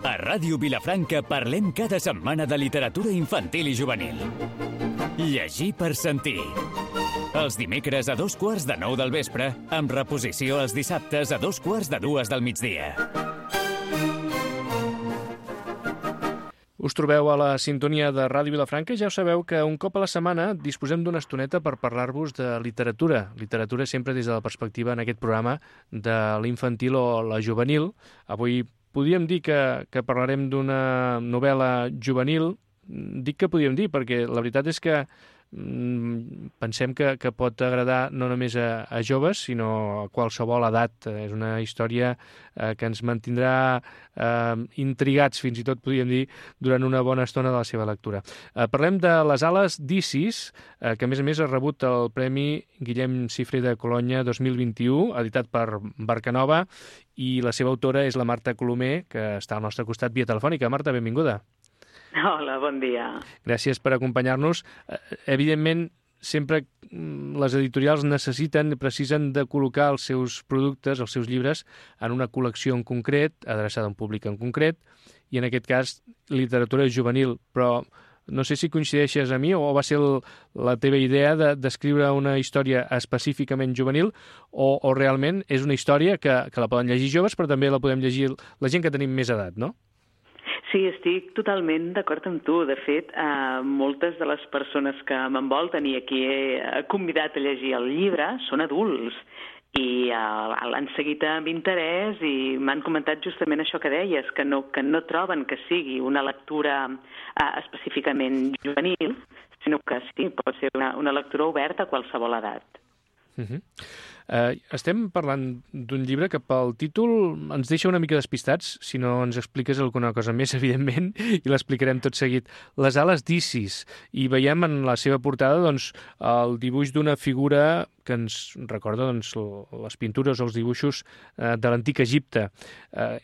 A Ràdio Vilafranca parlem cada setmana de literatura infantil i juvenil. Llegir per sentir. Els dimecres a 8:45 del vespre, amb reposició els dissabtes a 2:45 del migdia. Us trobeu a la sintonia de Ràdio Vilafranca i ja ho sabeu que un cop a la setmana disposem d'una estoneta per parlar-vos de literatura. Literatura sempre des de la perspectiva, en aquest programa, de l'infantil o la juvenil. Avui podríem dir que parlarem d'una novel·la juvenil. Dic que podríem dir perquè la veritat és que pensem que pot agradar no només a joves, sinó a qualsevol edat. És una història que ens mantindrà intrigats, fins i tot podríem dir, durant una bona estona de la seva lectura. Parlem de Les ales d'Isis, que a més ha rebut el Premi Guillem Cifré de Colonya 2021, editat per Barcanova, i la seva autora és la Marta Colomer, que està al nostre costat via telefònica. Marta, benvinguda. Hola, bon dia. Gràcies per acompanyar-nos. Evidentment, sempre les editorials precisen de col·locar els seus productes, els seus llibres, en una col·lecció en concret, adreçada a un públic en concret, i en aquest cas, literatura juvenil. Però no sé si coincideixes amb mi o va ser la teva idea d'escriure una història específicament juvenil o realment és una història que la poden llegir joves, però també la podem llegir la gent que tenim més edat, no? Sí, estic totalment d'acord amb tu. De fet, moltes de les persones que m'envolten i a qui he convidat a llegir el llibre són adults i l'han seguit amb interès i m'han comentat justament això que deies, que no troben que sigui una lectura específicament juvenil, sinó que sí, pot ser una lectura oberta a qualsevol edat. Estem parlant d'un llibre que pel títol ens deixa una mica despistats, si no ens expliques alguna cosa més, evidentment, i l'explicarem tot seguit. Les ales d'Isis, i veiem en la seva portada el dibuix d'una figura que ens recorda les pintures o els dibuixos de l'antic Egipte.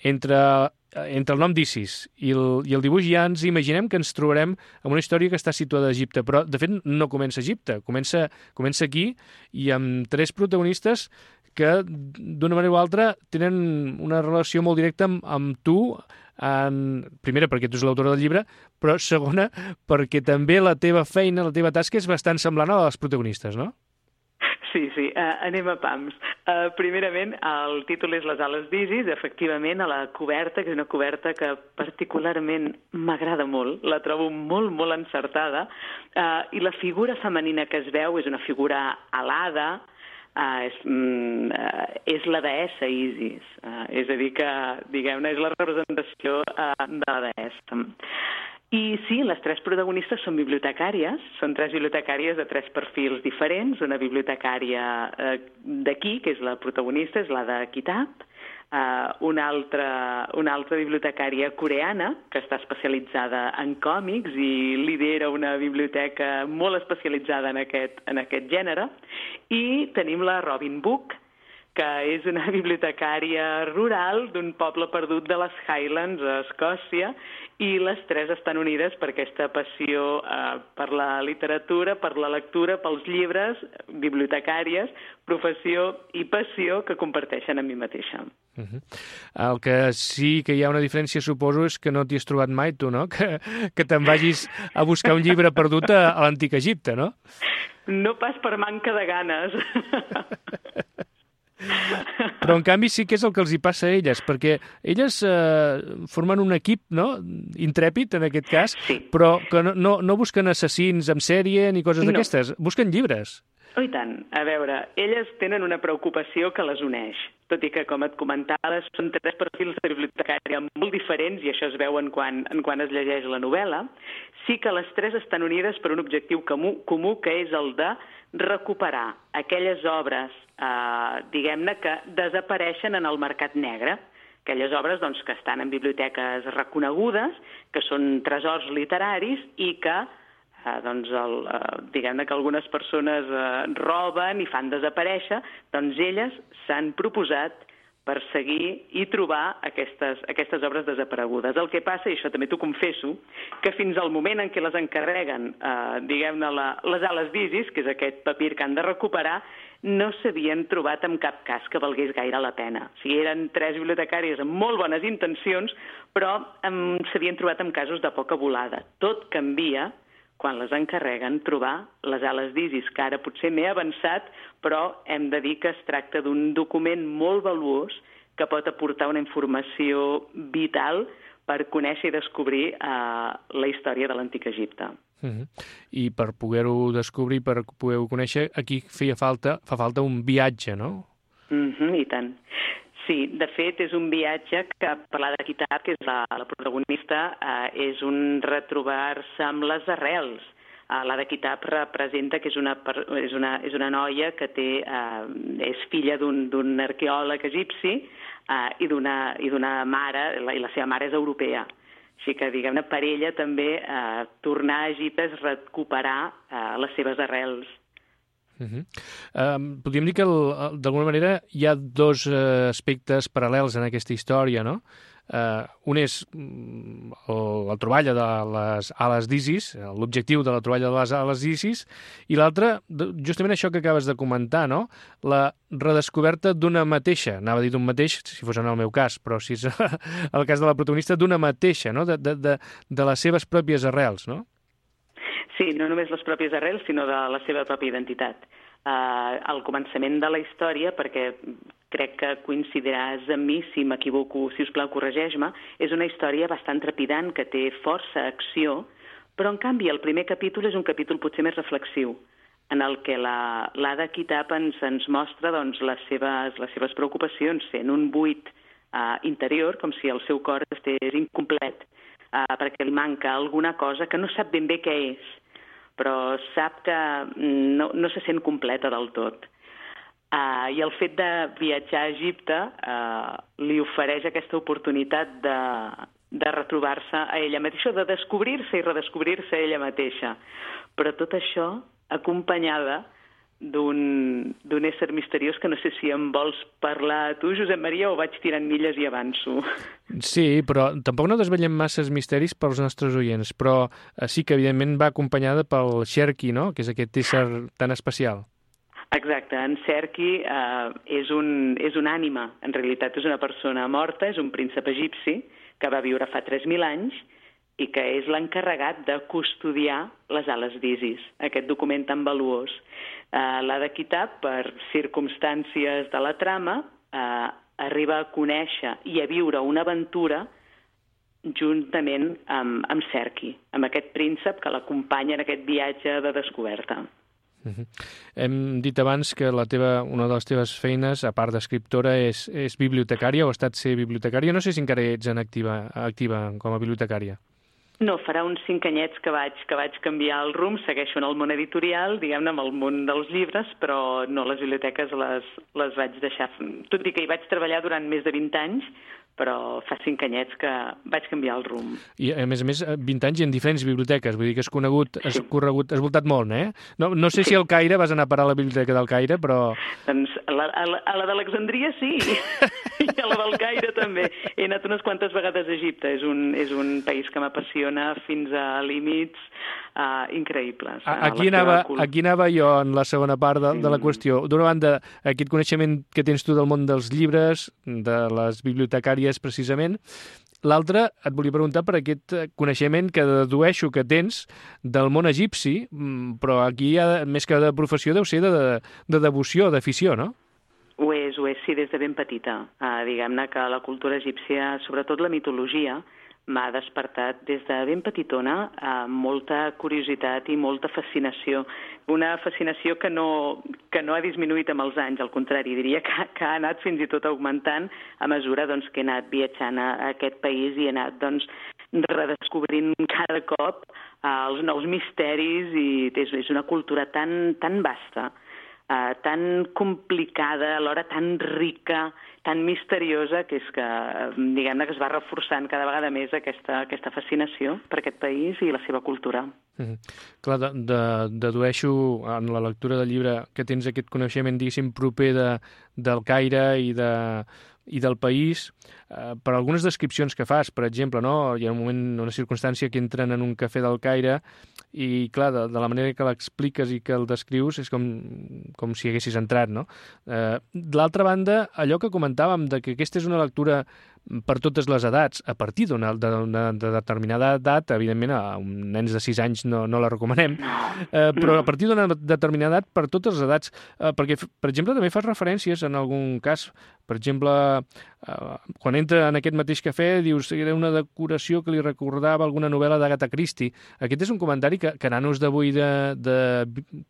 Entre el nom d'Isis i el dibuix ja ens imaginem que ens trobarem amb una història que està situada a Egipte, però de fet no comença a Egipte, comença aquí i amb tres protagonistes que d'una manera o altra tenen una relació molt directa amb tu, primera perquè tu ets l'autora del llibre, però segona perquè també la teva feina, la teva tasca és bastant semblant a la dels protagonistes, no? Sí, anem a pams. Primerament, el títol és Les ales d'Isis, efectivament, a la coberta, que és una coberta que particularment m'agrada molt, la trobo molt, molt encertada, i la figura femenina que es veu és una figura alada, és la deessa Isis, és a dir que, diguem-ne, és la representació de la deessa. I sí, les tres protagonistes són bibliotecàries, són tres bibliotecàries de tres perfils diferents. Una bibliotecària d'aquí, que és la protagonista, és la de Kitab, una altra bibliotecària coreana, que està especialitzada en còmics i lidera una biblioteca molt especialitzada en aquest gènere, i tenim la Robin Book, que és una bibliotecària rural d'un poble perdut de les Highlands, a Escòcia, i les tres estan unides per aquesta passió per la literatura, per la lectura, pels llibres, bibliotecàries, professió i passió que comparteixen amb mi mateixa. El que sí que hi ha una diferència, suposo, és que no t'hi has trobat mai, tu, no? Que te'n vagis a buscar un llibre perdut a l'antic Egipte, no? No pas per manca de ganes. Però en canvi sí que és el que els hi passa a elles, perquè elles formen un equip, no?, intrèpid en aquest cas, sí, però que no busquen assassins en sèrie ni coses d'aquestes, busquen llibres. Oh, i tant. A veure, elles tenen una preocupació que les uneix, tot i que, com et comentaves, són tres perfils de bibliotecària molt diferents, i això es veu quan es llegeix la novel·la. Sí que les tres estan unides per un objectiu comú, que és el de recuperar aquelles obres, diguem-ne, que desapareixen en el mercat negre, aquelles obres que estan en biblioteques reconegudes, que són tresors literaris i que diguem-ne que algunes persones roben i fan desaparèixer, doncs elles s'han proposat perseguir i trobar aquestes obres desaparegudes. El que passa, i això també t'ho confesso, que fins al moment en què les encarreguen, diguem-ne, les ales d'Isis, que és aquest papir que han de recuperar, no s'havien trobat en cap cas que valgués gaire la pena. O sigui, eren 3 bibliotecàries amb molt bones intencions, però s'havien trobat en casos de poca volada. Tot canvia quan les encarreguen trobar les ales d'Isis, que ara potser m'he avançat, però hem de dir que es tracta d'un document molt valuós que pot aportar una informació vital per conèixer i descobrir la història de l'Antic Egipte. I per poder-ho descobrir, per poder-ho conèixer, aquí fa falta un viatge, no? I tant. Sí, de fet, és un viatge que, per l'Ada Kitab, que és la protagonista, és un retrobar-se amb les arrels. L'Ada Kitab representa que és una noia que és filla d'un arqueòleg egipci i d'una mare, i la seva mare és europea. Així que, diguem-ne, per ella també tornar a Egipte és recuperar les seves arrels. Podríem dir que, d'alguna manera, hi ha dos aspectes paral·lels en aquesta història, no? Un és la troballa de les ales d'Isis, l'objectiu de la troballa de les ales d'Isis, i l'altre, justament això que acabes de comentar, no? La redescoberta d'una mateixa, anava a dir d'un mateix, si fos en el meu cas, però si és el cas de la protagonista, d'una mateixa, no? De les seves pròpies arrels, no? Sí, no només les pròpies arrels, sinó de la seva pròpia identitat. Al començament de la història, perquè crec que coincidiràs amb mi, si m'equivoco, si us plau, corregeix-me, és una història bastant trepidant, que té força acció, però en canvi el primer capítol és un capítol potser més reflexiu, en el que l'Ada Kitab ens mostra doncs, les seves preocupacions, sent un buit interior, com si el seu cor estigués incomplet, perquè li manca alguna cosa que no sap ben bé què és, però sap que no se sent completa del tot. I el fet de viatjar a Egipte li ofereix aquesta oportunitat de retrobar-se a ella mateixa, de descobrir-se i redescobrir-se a ella mateixa. Però tot això acompanyada d'un ésser misteriós que no sé si em vols parlar a tu, Josep Maria, o vaig tirant milles i avanço. Sí, però tampoc no desvetllem masses misteris pels nostres oients, però sí que evidentment va acompanyada pel Sherki, no?, que és aquest ésser tan especial. Exacte, en Sherki és una ànima, en realitat és una persona morta, és un príncep egipci que va viure fa 3.000 anys i que és l'encarregat de custodiar les ales d'Isis, aquest document tan valuós. L'Ada Kitab, per circumstàncies de la trama, arriba a conèixer i a viure una aventura juntament amb Sherki, amb aquest príncep que l'acompanya en aquest viatge de descoberta. Hem dit abans que una de les teves feines, a part d'escriptora, és bibliotecària, o ha estat ser bibliotecària. No sé si encara ets activa com a bibliotecària. No, farà uns 5 anyets que vaig canviar el rumb, segueixo en el món editorial, diguem-ne, amb el món dels llibres, però no, les biblioteques les vaig deixar. Tot i que hi vaig treballar durant més de 20 anys, però fa 5 anyets que vaig canviar el rumb. I, a més, 20 anys i en diferents biblioteques, vull dir que has voltat molt, eh? No sé si al Caire vas anar a parar a la biblioteca del Caire, però... Doncs a la d'Alexandria sí, i a la del Caire també. He anat unes quantes vegades a Egipte, és un país que m'apassiona fins a límits increïbles. Aquí anava jo en la segona part de la qüestió. D'una banda, aquest coneixement que tens tu del món dels llibres, de les bibliotecàries precisament. L'altre, et volia preguntar per aquest coneixement que dedueixo que tens del món egipci, però aquí, més que de professió, deu ser de devoció, d'afició, no? Ho és, sí, des de ben petita. Diguem-ne que la cultura egípcia, sobretot la mitologia, m'ha despertat des de ben petitona molta curiositat i molta fascinació. Una fascinació que no ha disminuït amb els anys, al contrari, diria que ha anat fins i tot augmentant a mesura doncs, que he anat viatjant a aquest país i he anat doncs, redescobrint cada cop els nous misteris, i és una cultura tan vasta, tan complicada, alhora tan rica, tan misteriosa, que és que, diguem-ne, que es va reforçant cada vegada més aquesta fascinació per aquest país i la seva cultura. Clar, dedueixo en la lectura del llibre que tens aquest coneixement, diguéssim, proper del Caire i de i del país per algunes descripcions que fas. Per exemple, no? Hi ha un moment, una circumstància que entren en un cafè del Caire i, clar, de la manera que l'expliques i que el descrius és com si haguessis entrat, no? D'altra banda, allò que comentàvem de que aquesta és una lectura per totes les edats, a partir d'una determinada edat, evidentment a nens de 6 anys no la recomanem, però a partir d'una determinada edat per totes les edats, perquè, per exemple, també fas referències en algun cas, per exemple, quan entra en aquest mateix cafè, dius que era una decoració que li recordava alguna novel·la d'Agatha Christie. Aquest és un comentari que nanos d'avui de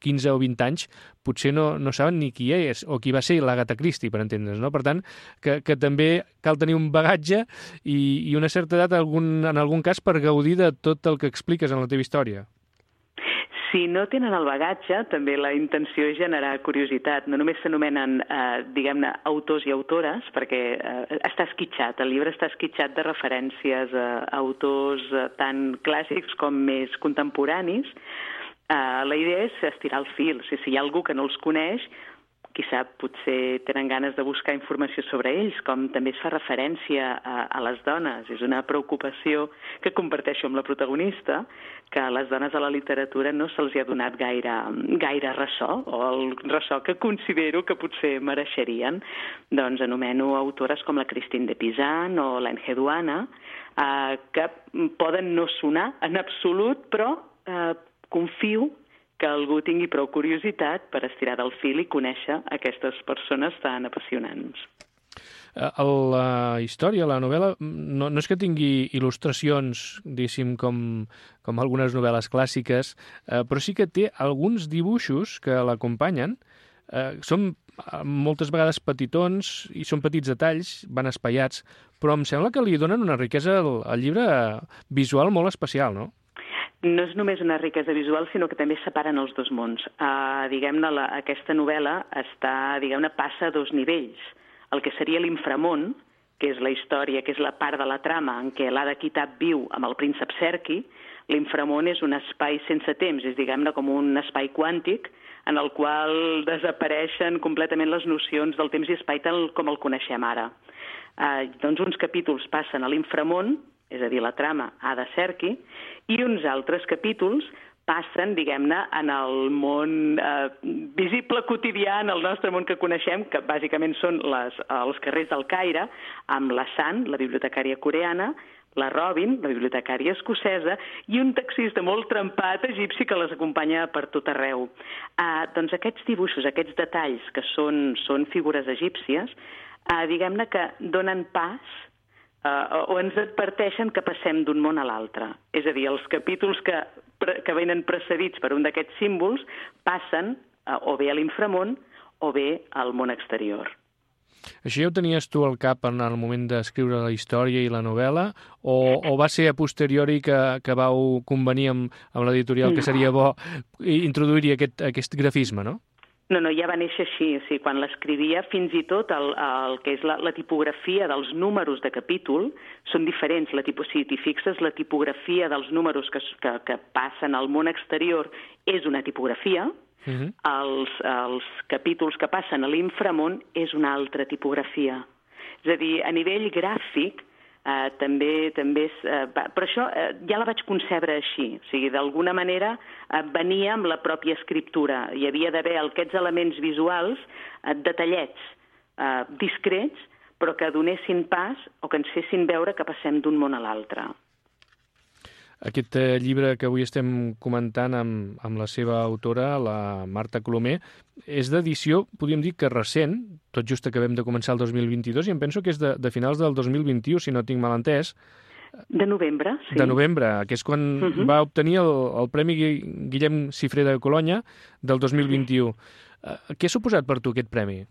15 o 20 anys potser no saben ni qui és o qui va ser l'Agatha Christie, per entendre's, no? Per tant, que també cal tenir un bagatge i una certa edat en algun cas per gaudir de tot el que expliques en la teva història. Si no tenen el bagatge, també la intenció és generar curiositat. No només s'anomenen, diguem-ne, autors i autores, perquè està esquitxat, el llibre està esquitxat de referències a autors tant clàssics com més contemporanis. La idea és estirar el fil. Si hi ha algú que no els coneix, qui sap, potser tenen ganes de buscar informació sobre ells, com també es fa referència a les dones. És una preocupació que comparteixo amb la protagonista, que a les dones a la literatura no se'ls ha donat gaire ressò, o el ressò que considero que potser mereixerien. Doncs anomeno autores com la Christine de Pizan o l'Ange Duana, que poden no sonar en absolut, però confio que algú tingui prou curiositat per estirar del fil i conèixer aquestes persones tan apassionants. La història, la novel·la, no és que tingui il·lustracions, diguéssim, com algunes novel·les clàssiques, però sí que té alguns dibuixos que l'acompanyen. Són moltes vegades petitons i són petits detalls, van espaiats, però em sembla que li donen una riquesa al llibre visual molt especial, no? No és només una riquesa visual, sinó que també separen els dos mons. Diguem-ne, aquesta novel·la passa a dos nivells. El que seria l'inframón, que és la història, que és la part de la trama en què l'Hada Kitab viu amb el príncep Serki. L'inframón és un espai sense temps, és, diguem-ne, com un espai quàntic en el qual desapareixen completament les nocions del temps i espai tal com el coneixem ara. Doncs uns capítols passen a l'inframón, és a dir, la trama Hada Serki, i uns altres capítols passen, diguem-ne, en el món visible quotidià, en el nostre món que coneixem, que bàsicament són els carrers del Caire, amb la San, la bibliotecària coreana, la Robin, la bibliotecària escocesa, i un taxista molt trempat egipci que les acompanya per tot arreu. Doncs aquests dibuixos, aquests detalls, que són figures egípcies, diguem-ne que donen pas o ens adverteixen que passem d'un món a l'altre. És a dir, els capítols que venen precedits per un d'aquests símbols passen o bé a l'inframón o bé al món exterior. Això ja ho tenies tu al cap en el moment d'escriure la història i la novel·la o va ser a posteriori que vau convenir amb l'editorial que seria bo introduir-hi aquest grafisme, no? No, ja va néixer així. O sigui, quan l'escrivia, fins i tot el que és la tipografia dels números de capítol són diferents. Si t'hi fixes, la tipografia dels números que passen al món exterior és una tipografia. Els capítols que passen a l'inframón és una altra tipografia. És a dir, a nivell gràfic, també és... Per això ja la vaig concebre així. O sigui, d'alguna manera venia amb la pròpia escriptura. Hi havia d'haver aquests elements visuals detallets, discrets, però que donessin pas o que ens fessin veure que passem d'un món a l'altre. Aquest llibre que avui estem comentant amb la seva autora, la Marta Colomer, és d'edició, podríem dir que recent, tot just acabem de començar el 2022, i em penso que és de finals del 2021, si no tinc mal entès. De novembre, sí. De novembre, que és quan va obtenir el Premi Guillem Cifré de Colònia del 2021. Què ha suposat per tu aquest premi?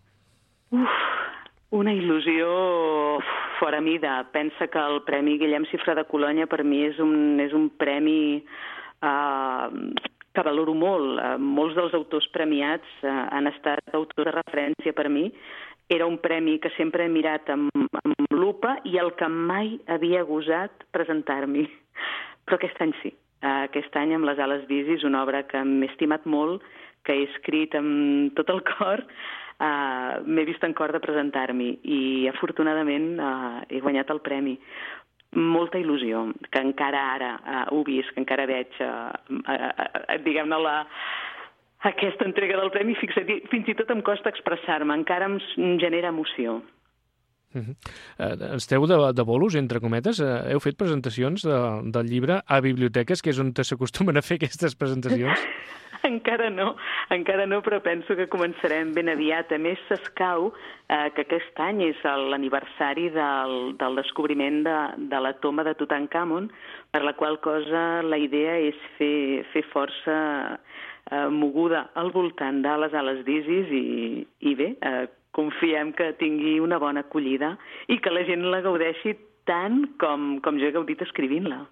Una il·lusió fora mida. Pensa que el Premi Guillem Cifré de Colònia per mi és un premi que valoro molt. Molts dels autors premiats han estat autors de referència per mi. Era un premi que sempre he mirat amb lupa i el que mai havia gosat presentar-m'hi. Però aquest any sí. Aquest any, amb Les ales d'Isis, una obra que m'he estimat molt, que he escrit amb tot el cor, m'he vist en cor de presentar-m'hi i afortunadament he guanyat el premi. Molta il·lusió, que encara ara ho visc, que encara veig, diguem-ne, aquesta entrega del premi, fins i tot em costa expressar-me, encara em genera emoció. Esteu de bolos, entre cometes? Heu fet presentacions del llibre a biblioteques, que és on s'acostumen a fer aquestes presentacions? Encara no, però penso que començarem ben aviat. A més, s'escau que aquest any és l'aniversari del descobriment de la tomba de Tutankamon, per la qual cosa la idea és fer força moguda al voltant de les ales d'Isis i bé, confiem que tingui una bona acollida i que la gent la gaudeixi tant com jo he gaudit escrivint-la.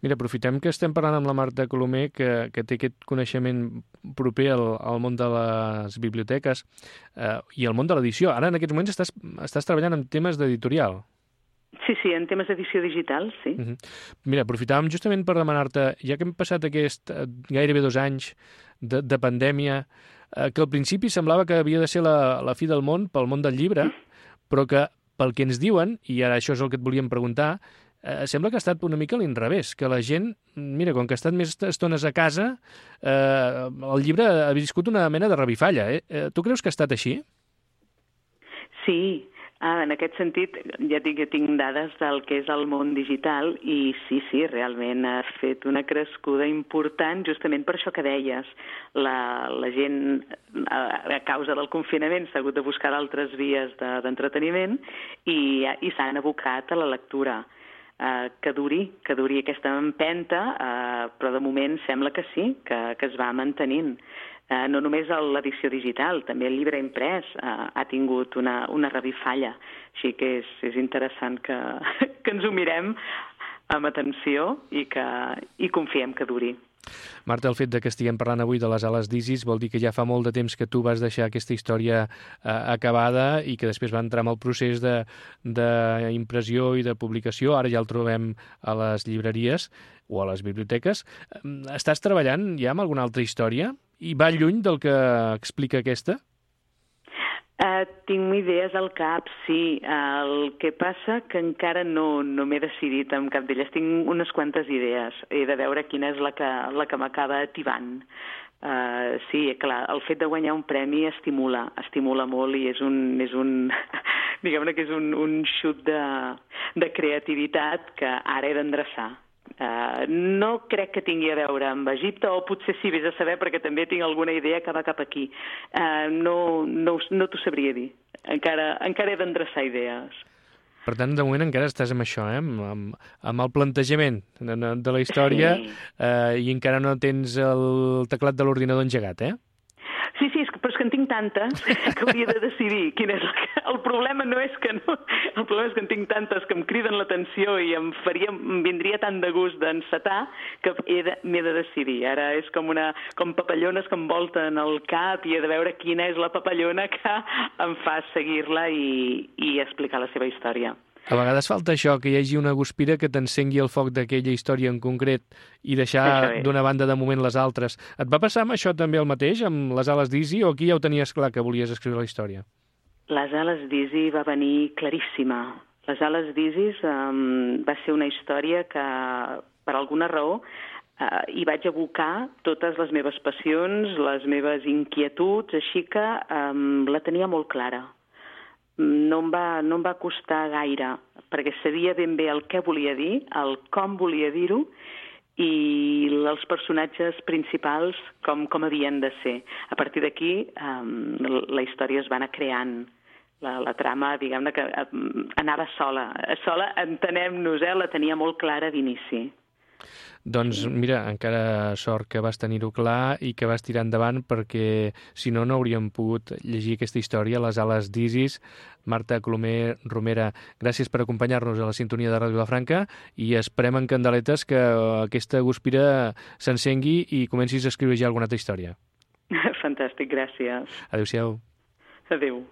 Mira, aprofitem que estem parlant amb la Marta Colomer, que té aquest coneixement proper al món de les biblioteques i al món de l'edició. Ara, en aquests moments, estàs treballant en temes d'editorial. Sí, en temes d'edició digital, sí. Mira, aprofitàvem justament per demanar-te, ja que hem passat gairebé 2 anys de pandèmia, que al principi semblava que havia de ser la fi del món pel món del llibre, però que pel que ens diuen, i ara això és el que et volíem preguntar, sembla que ha estat una mica a l'inrevés, que la gent, mira, com que ha estat més estones a casa, el llibre ha viscut una mena de revifalla. Tu creus que ha estat així? Sí, en aquest sentit, ja dic que tinc dades del que és el món digital i sí, realment ha fet una crescuda important justament per això que deies. La gent, a causa del confinament, s'ha hagut de buscar d'altres vies d'entreteniment i s'han abocat a la lectura. Que duri aquesta empenta, però de moment sembla que sí, que es va mantenint. No només l'edició digital, també el llibre imprès ha tingut una revifalla. Així que és interessant que ens ho mirem amb atenció i confiem que duri. Marta, el fet que estiguem parlant avui de les ales d'Isis vol dir que ja fa molt de temps que tu vas deixar aquesta història acabada i que després va entrar en el procés d'impressió i de publicació. Ara ja el trobem a les llibreries o a les biblioteques. Estàs treballant ja amb alguna altra història? I va lluny del que explica aquesta? Tinc idees al cap, sí. El que passa que encara no m'he decidit amb cap d'elles. Tinc unes quantes idees. He de veure quina és la que m'acaba ativant. Sí, clar, el fet de guanyar un premi estimula molt i és un diguem-ne que és un xut de creativitat que ara he d'endreçar. No crec que tingui a veure amb Egipte, o potser sí, vés a saber, perquè també tinc alguna idea que va cap aquí. No t'ho sabria dir. Encara he d'endreçar idees. Per tant, de moment encara estàs amb això, amb el plantejament de la història, i encara no tens el teclat de l'ordinador engegat, Sí, però és que en tinc tantes que hauria de decidir quina és el problema. No és que no, el problema és que en tinc tantes que em criden l'atenció i em vindria tant de gust d'encetar que m'he de decidir. Ara és com papallones que envolten el cap i he de veure quina és la papallona que em fa seguir-la i explicar la seva història. A vegades falta això, que hi hagi una guspira que t'encengui el foc d'aquella història en concret i deixar d'una banda de moment les altres. Et va passar amb això també el mateix, amb les ales d'Isi, o aquí ja ho tenies clar que volies escriure la història? Les ales d'Isi va venir claríssima. Les ales d'Isis va ser una història que, per alguna raó, hi vaig abocar totes les meves passions, les meves inquietuds, així que la tenia molt clara. No em va costar gaire, perquè sabia ben bé el que volia dir, el com volia dir-ho, i els personatges principals com havien de ser. A partir d'aquí, la història es va anar creant. La trama, diguem-ne, que anava sola. Sola, entenem-nos, la tenia molt clara d'inici. Doncs mira, encara sort que vas tenir-ho clar i que vas tirar endavant, perquè si no, no hauríem pogut llegir aquesta història, Les ales d'Isis. Marta Colomer Romera, gràcies per acompanyar-nos a la sintonia de Ràdio Vilafranca i esperem en candeletes que aquesta guspira s'encengui i comencis a escriure ja alguna altra història. Fantàstic, gràcies. Adéu-siau. Adéu.